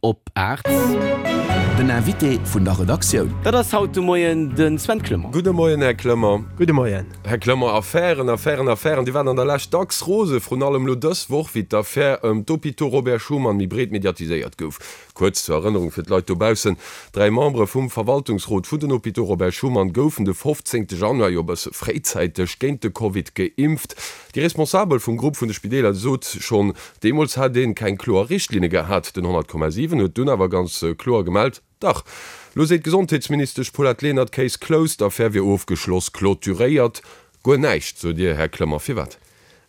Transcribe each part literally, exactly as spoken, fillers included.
op aacht. Den Invité vun der Redaktioun. Dat ass haut de Moien de Sven Clement. Gudde Moien, Här Clement. Gudde Moien. Här Clement, Affären, Affären, Affären, déi waren an der Lescht dacks rose, vrun allem elo dës Woch, wéi d'Affär ëm d'Hôpitaux Robert Schuman méi breet mediatiséiert gouf. Kuerz zur Erënnerung fir d'Leit dobaussen, Dräi Membere vum Verwaltungsrot vun den Hôpitaux Robert Schuman goufen de fofzéngte Januar, jo e bësse fréizäiteg, géint de Covid geimpft. Déi Responsabel vum Grupp vun de Spideeler sot schonn deemools hätt een keng kloer Richtlinne gehat. Den honnert Komma siwen huet dunn awer ganz kloer gemellt, Dach! Lo seet d'Gesondheetsministesch Paulette Lenert, Case closed, d'Affär wier ofgeschloss, clôturéiert. Guer näischt, sot Dir, Här Clement. Firwat?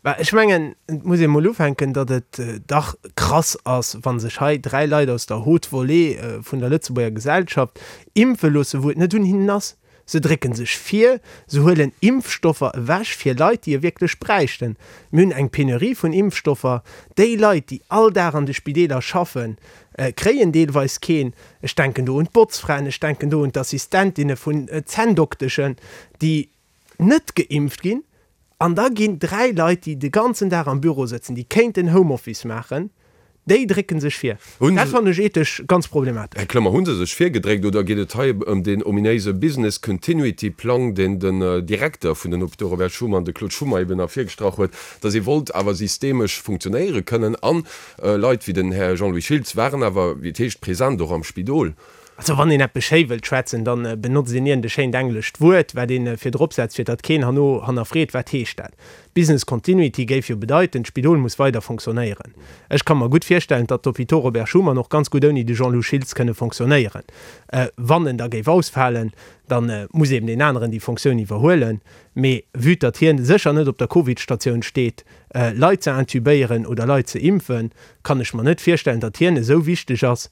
Bah, ech mengen, et muss ee mol ufänken, datt et dach krass ass, wa sech hei dräi Leit aus der Haute Volée vun der Lëtzebuerger Gesellschaft impfe loosse, wou et net un hinnen ass. Se drécke sech vir, se huelen Impfstoffer ewech fir Leit, déi e wierklech bräichten. Mir hunn eng Penurie vun Impfstoffer. Déi Leit, déi all Dag an de Spideeler schaffen, kréien deelweis keen. Ech denken do un d'Botzfraen, ech denken do un d'Assistentinne vun Zänndokteschen, déi net geimpft ginn. An da ginn dräi Leit, déi de ganzen Dag am Büro sëtzen, déi kéinten Homeoffice maachen, déi drécke sech vir. Dat fannen ech ethesch ganz problematesch. Här Clement, hu se sech virgedréckt oder geet et hei ëm deen ominéise Business Continuity Plang, deen den Direkter vun den Hôpitaux Robert Schuman, de Claude Schummer, eben ervirgestrach huet, datt ee wollt awer systemesch funktionéiere kënnen an Leit wéi den Här Jean-Louis Schiltz waren awer, wéi et heescht, present och am Spidol? Also wann een eppes schéi wëllt schwätzen, da benotzt een iergend e schéint englescht Wuert, wat ee virdrop setzt, fir datt keen herno hannerfreet, wat heescht dat. Business continuity géif jo bedeiten, d'Spidol muss weider fonctionnéieren. Ech ka mer gutt virstellen, datt d'Hôpitaux Robert Schuman och ganz gutt ouni de Jean-Lou Schiltz kënne fonctionnéieren. Wann en da géif ausfalen, da muss eben deen aneren déi Fonctioun iwwerhuelen. Mee vue datt hien sécher net op der Covid-Statioun steet, Leit ze intubéieren oder Leit ze impfen, kann ech mer net virstellen, datt hien esou wichteg ass,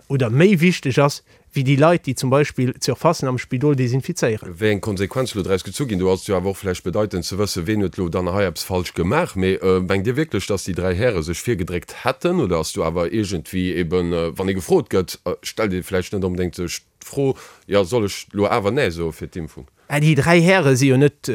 oder méi wichteg ass, wéi déi Leit, déi zum Beispill d'Surfacen am Spidol desinfizéieren. Wéi eng Konsequenze lo draus gezu ginn, do ass et jo awer och vläicht bedeitend ze wëssen, ween huet lo dann hei eppes falsch gemaach. Mee mengt Dir wierklech, datt déi dräi Häre sech virgedréckt hätten, oder ass do awer iergendwéi eben, wann ee gefrot gëtt, stellt ee vläicht net onbedéngt sech d'Fro, jo soll ech lo awer Nee soe fir d'Impfung? Mä déi dräi Häre si jo net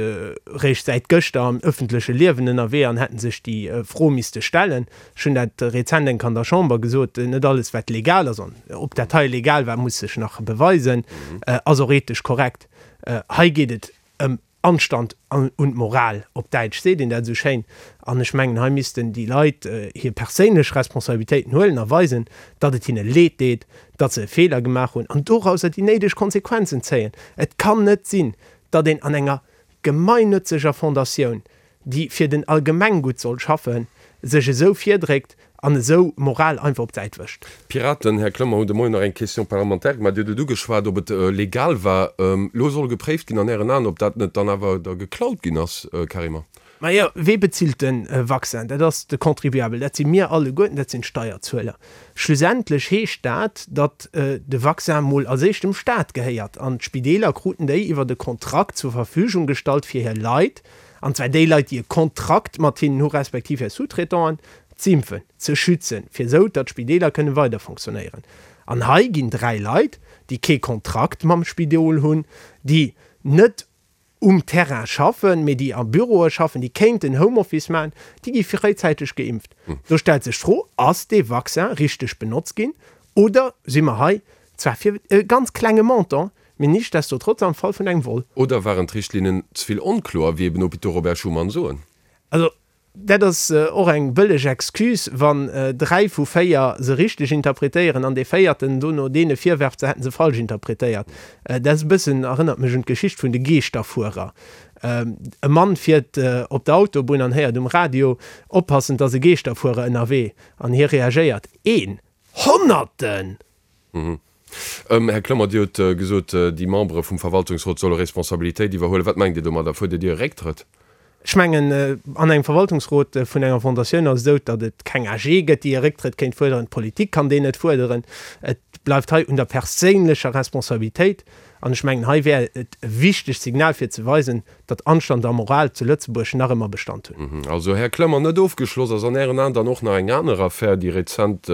réischt säit gëschter am ëffentleche Liewen ënnerwee an hätten sech déi Fro misste stellen. Ech hunn dat rezent eng Kéier an der Chamber gesot, net alles wat legal ass, an ob dat hei legal war, muss sech nach beweisen, ass och ethesch korrekt. Hei geet et ëm Anstand und Moral, op Däitsch seet een dat esou schéin. An ech mengen, hei missten déi Leit hir perséinlech Responsabilitéiten huelen a weisen, datt et hinne leed deet, datt se e Feeler gemaach hunn an dorauser déi néideg Konsequenzen zéien. Et kann net sinn, datt een an enger gemeinnützeger Fondatioun, déi fir den Allgemenggutt soll schaffen, sech esou virdréckt an esou Moral einfach op d'Säit wëscht. D'Piraten, Här Clement, hunn de Moien nach eng Question parlementaire gemaach. Dir hutt et ugeschwat, ob et legal war. Elo soll gepréift ginn an Ären Aen, ob dat net dann awer da geklaut ginn ass, carrément. Majo, wee bezilt de Vaccin? Dat ass de Contribuabel, dat si mir alleguerten, dat sinn d'Steierzueler. Schlussendlech heescht dat, datt de Vaccin mol als éischt dem Staat gehéiert an d'Spideeler kruten déi iwwert e Kontrakt zur Verfügung gestallt fir hir Leit, an zwar déi Leit, déi e Kontrakt mat hinnen hu respektiv hir Sous-traitanten, z'impfen, ze schützen, fir esou datt d'Spideeler kënne weider fonctionnéieren. An hei ginn dräi Leit, déi kee Kontrakt mam Spidol hunn, déi net um Terrain schaffen, mee déi a Büroe schaffen, déi kéinten Homeoffice maachen, déi gi fréizäiteg geimpft. Do stellt sech d'Fro, Ass dee Vaccin richteg benotzt ginn oder si mer hei, zwar fir e ganz klenge Montant, mee nichtsdestotrotz am Fall vun engem Vol? Oder waren d'Richtlinnen ze vill onkloer, wéi eben Hôpitaux Robert Schuman soen? Also dat ass och eng bëlleg Excuse, wann dräi vu véier se richteg interpretéieren an dee véierten dono deene virwerft, se hätten se falsch interpretéiert. Dat ass e bëssen, erënnert mech un d'Geschicht vun de Geeschterfuerer. E Mann fiert op der Autobunn an héiert um Radio, Oppassen, 't ass e Geeschterfuerer ënnerwee. An hie reagéiert, Een? Honnerten! Här Clement, Dir hutt gesot, déi Membere vum Verwaltungsrot solle Responsabilitéit iwwerhuelen. Wat mengt Dir domadder? Fuerdert Dir e Récktrëtt? Ech mengen, an engem Verwaltungsrot vun enger Fondatioun ass et esou, datt et keng A G gëtt, déi e Récktrëtt kéint fuerderen. D'Politik kann deen net fuerderen. Et bleift hei un der perséinlecher Responsabilitéit. An ech mengen, hei wär et e wichtegt Signal, fir ze weisen, datt Anstand a Moral zu Lëtzebuerg nach ëmmer Bestand hunn. Also, Här Clement, net ofgeschloss ass an Ären Aen dann och nach eng aner Affär, déi rezent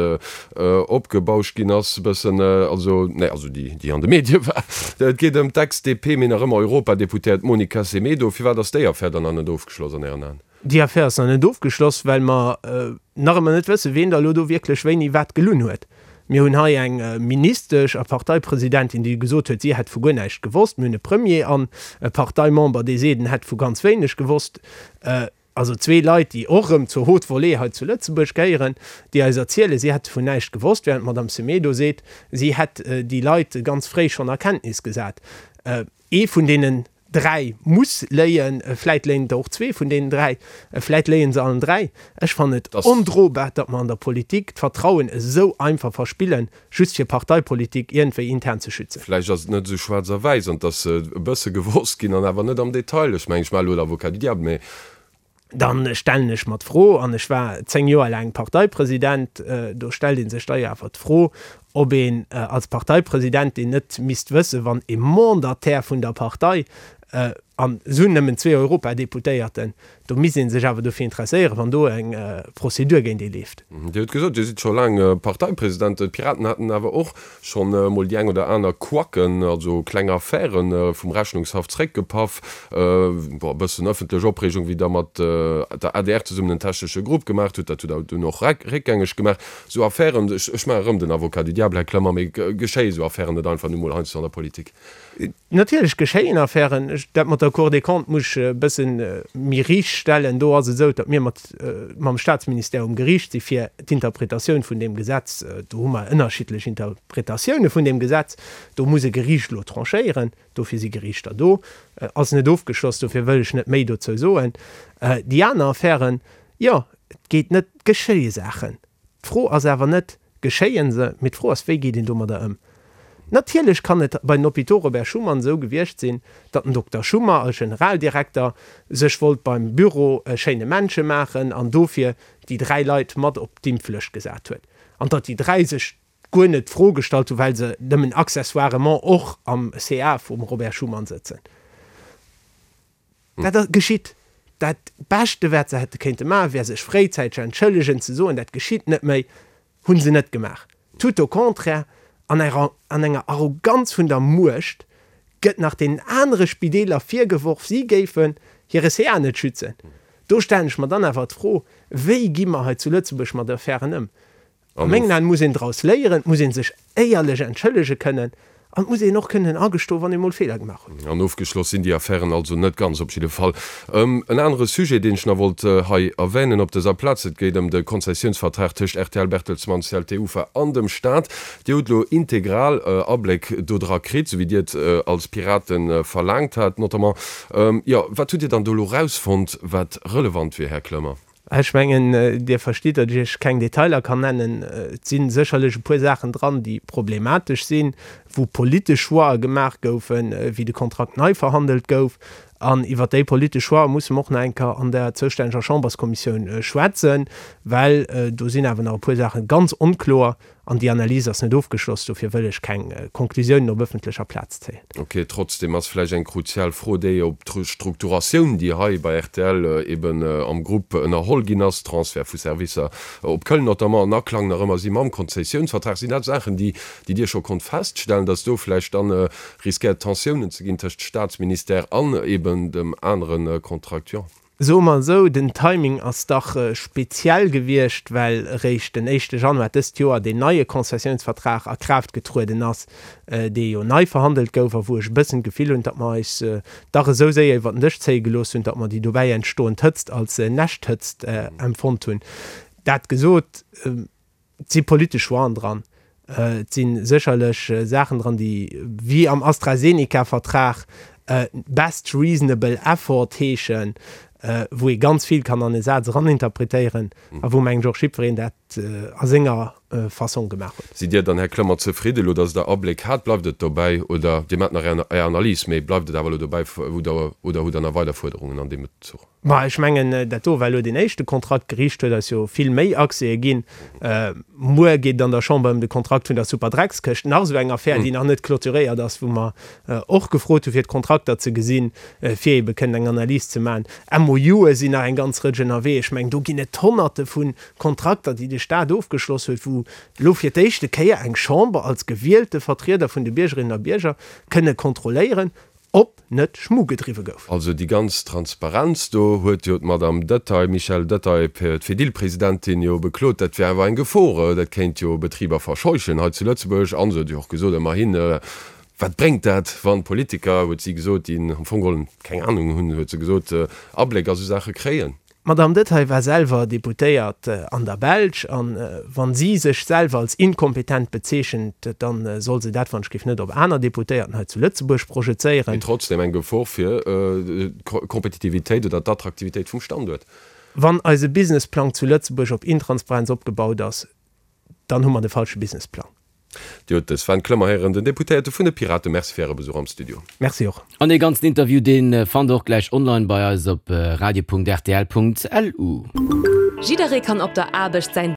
opgebauscht ginn ass, e bëssen, also, nee, also déi, déi an de Medie war. Et geet ëm d'Ex-D P, mee nach ëmmer Europadeputéiert Monica Semedo. Firwat ass déi Affär dann nach net ofgeschloss an Ären Aen? Déi Affär ass nach net ofgeschloss, well mer nach ëmmer net wëssen, ween da elo do wierklech wéini wat gelunn huet. Mir hunn hei eng Ministesch a Parteipresidentin, déi gesot huet, si hätt vu guer näischt gewosst. Mir hunn e Premier an e Parteimember, dee seet, en hätt vu ganz wéineg gewosst. Also zwee Leit, déi och erëm zur Haute Volée hei zu Lëtzebuerg gehéieren, déi eis erzielen, si hätte vun näischt gewosst, während d'Madame Semedo seet, si hätt déi Leit ganz fréi schonn a Kenntnis gesat. Ee vun deenen dräi muss léien, vläit léien der och zwee vun deenen dräi, vläit léie se allen dräi. Ech fannen et ondrobar, datt mer an der Politik d'Vertrauen esou einfach verspillen, just fir Parteipolitik iergendwéi intern ze schützen. Vläicht ass et net esou schwaarz a wäiss an et ass e bësse gewosst ginn an awer net am Detail. Ech mengen, ech maache elo l'Avocat du diable, mee. Dann stellen ech mer d'Fro, an ech war zéng Joer laang Parteipresident, do stellt ee sech da jo awer d'Fro, ob een als Parteipresidentin net misst wëssen, wann e Mandataire vun der Partei, an se hunn nëmmen zwee Europadeputéierten, do misst ee sech awer dofir interesséieren, wann do eng Prozedur géint ee leeft. Dir hutt gesot, Dir sidd scho laang Parteipresident. D'Piraten haten awer och schonn emol déi eng oder aner Couacken, also kleng Affären, vum Rechnungshaff zréckgepaff, bon, e bëssen ëffentlech Opreegung, wéi Der mat der adr zesummen en technesche Grupp gemaach hutt. Dat hutt Der dunn och réckgängeg gemaach. Esou Affären, ech maache erëm den Avocat du diable, Här Clement, mee geschéie esou Affären net einfach nu mol heiansdo an der Politik? Natierlech geschéien Affären. Dat mat der Cour des Comptes muss ech e bësse méi riicht stellen. Do ass et esou, datt mir mat mam Staatsministère um Geriicht si fir d'Interpretatioun vun deem Gesetz. Do hu mer ënnerschiddlech Interpretatioune vun deem Gesetz. Do muss e Geriicht elo tranchéieren. Dofir si Geriichter do. Ass net ofgeschloss, dofir wëll ech net méi dozou soen. Déi aner Affären, jo, et geet net, et geschéie Saachen. D'Fro ass awer net, geschéie se, mee d'Fro ass, wéi geet een domadder ëm? Natierlech kann et bei den Hôpitaux Robert Schuman esou gewiescht sinn, datt den Dokter Schummer als Generaldirekter sech wollt beim Büro e schéine Männche maachen an dofir déi dräi Leit mat op d'Impflëscht gesat huet an datt déi dräi sech guer net d'Fro gestallt hunn, well se nëmmen accessoirement och am C A vum Robert Schuman sëtzen. Dat geschitt. Dat Beschte wat se hätte kéinte maachen, wär sech fréizäiteg entschëllegen, ze soen, dat geschitt net méi. Hu se net gemaach. Tout au contraire, an enger Arroganz vun der Muecht gëtt nach deenen anere Spideeler virgeworf, si géifen hire C A net schützen. Do stellen ech mer dann awer d'Fro, Wéi gi mer hei zu Lëtzebuerg mat Affären ëm? A mengen Aen muss een draus léieren, et muss ee sech éierlech entschëllege kënnen an et muss een och kënnen agestoen, wann ee mol Feeler gemaach huet. An ofgeschloss sinn déi Affären also net ganz, op jidde Fall. En anere Sujet, deen ech nach wollt hei erwänen op dëser Plaz, et geet ëm de Konzessiounsvertrag tëscht R T L Bertelsmann, C L T Ufa an dem Stat. Dir hutt elo integral Abléck do dra kritt, esou wéi Dir et als Piraten verlaangt hat notamment. Jo, wat hutt Dir dann do elo erausfonnt, wat relevant wier, Här Clement? Ech mengen, Dir verstitt, datt ech Iech keng Detailer kann nennen. Et si sécherlech e puer Saachen dran, déi problematesch sinn, wou politesch Choixë gemaach goufen, wéi de Kontrakt nei verhandelt gouf. An iwwert déi politesch Choixë musse mer och nach eng Kéier an der zoustänneger Chamberskommissioun schwätzen, well do sinn awer nach e puer Saache ganz onkloer. An déi Analys ass net ofgeschloss, dofir wëll ech keng Konklusiounen op ëffentlecher Plaz zéien. Ok, trotzdem ass vläicht eng kruzial Fro déi, ob d'Restrukturatioun, déi hei bei R T L eben am Grupp ënnerholl ginn ass, Transfert vu Servicer op Köln notamment, an Aklang nach ëmmer si mam Konzessiounsvertrag, sinn dat Saachen, déi Dir scho konnt feststellen, datt do vläicht dann riskéiert Tensiounen ze ginn tëscht Staatsministère an eben dem anere Contractuant? Soe mer esou, den Timing ass dach speziell gewiescht, well eréischt den éischte Januar dëst Joer deen neie Konzessiounsvertrag a Kraaft getrueden ass, dee jo nei verhandelt gouf a wou ech e bëssen d'Gefill hunn, datt mer eis dach esou séier iwwer den Dësch zéie gelooss hunn, datt mer déi dobäi entstoend Hëtzt als Näschthëtzt empfonnt hunn. Dat gesot, et si politesch Choixen dran. Et si sécherlech Saachen dran, déi wéi am AstraZeneca-Vertrag best reasonable effort heeschen, wou ee ganz vill kann an e Saz eraninterpretéieren a wou, mengen ech, och jiddwereen dat a senger Fassong gemaach huet. Sidd Dir dann, Här Clement, zefridde elo, datt Der Abléck hat? Bleift et dobäi oder Dir maacht nach Är Analys, mee bleift et awer elo dobäi oder hutt Der nach weider Fuerderungen an deem Bezuch? Ma ech mengen, dat do war elo deen éischte Kontrakt. D'Geriicht huet eis jo vill méi Accèse ginn. Muer geet et an der Chamber ëm de Kontrakt vun der Superdreckskëscht, nach esou eng Affär, déi nach net clôturéiert ass, wou mer och gefrot hu fir d'Kontrakter ze gesinn, fir ebe kënnen eng Analys ze maachen. M O Ue sinn nach eng ganz Rëtsch ënnerwee. Ech mengen, do ginn et Honnerte vu Kontrakter, déi de Stat ofgeschloss huet, wou elo fir d'éischte Kéier eng Chamber als gewielte Vertrieder vun de Biergerinnen a Bierger kënne kontrolléieren, Ob net Schmu gedriwwe gouf. Also déi ganz Transparenz, do huet jo d'Madame Detaille, Michèle Detaille, d'Fedil-Presidentin, jo beklot, dat wär awer eng Gefor, dat kéint jo Betriber verscheuchen hei zu Lëtzebuerg. An se huet jo och gesot, ëmmerhin, wat bréngt dat, wann Politiker, huet si gesot, déi am Fong geholl keng Anung hunn, huet se gesot, Abléck a sou Saache kréien. D'Madame Detaille war selwer Deputéiert an der Belsch, a wa si sech selwer als inkompetent bezeechent, da soll se dat wann ech géif net op aner Deputéierten hei zu Lëtzebuerg projezéieren. Mee trotzdem eng Gefor fir d'Kompetitivitéit oder d'Attraktivitéit vum Standuert. Wann eise Businessplang zu Lëtzebuerg op Intransparenz opgebaut ass, dann hu mer de falsche Businessplang. Dir hutt de Sven Clement héieren, den Deputéierte vun de Piraten. Merci fir Äre Besuch am Studio. Merci och. An dee ganzen Interview, dee fannt der och gläich online bei eis op radio.rtl.lu. Jidderee kann op der Aarbecht säin.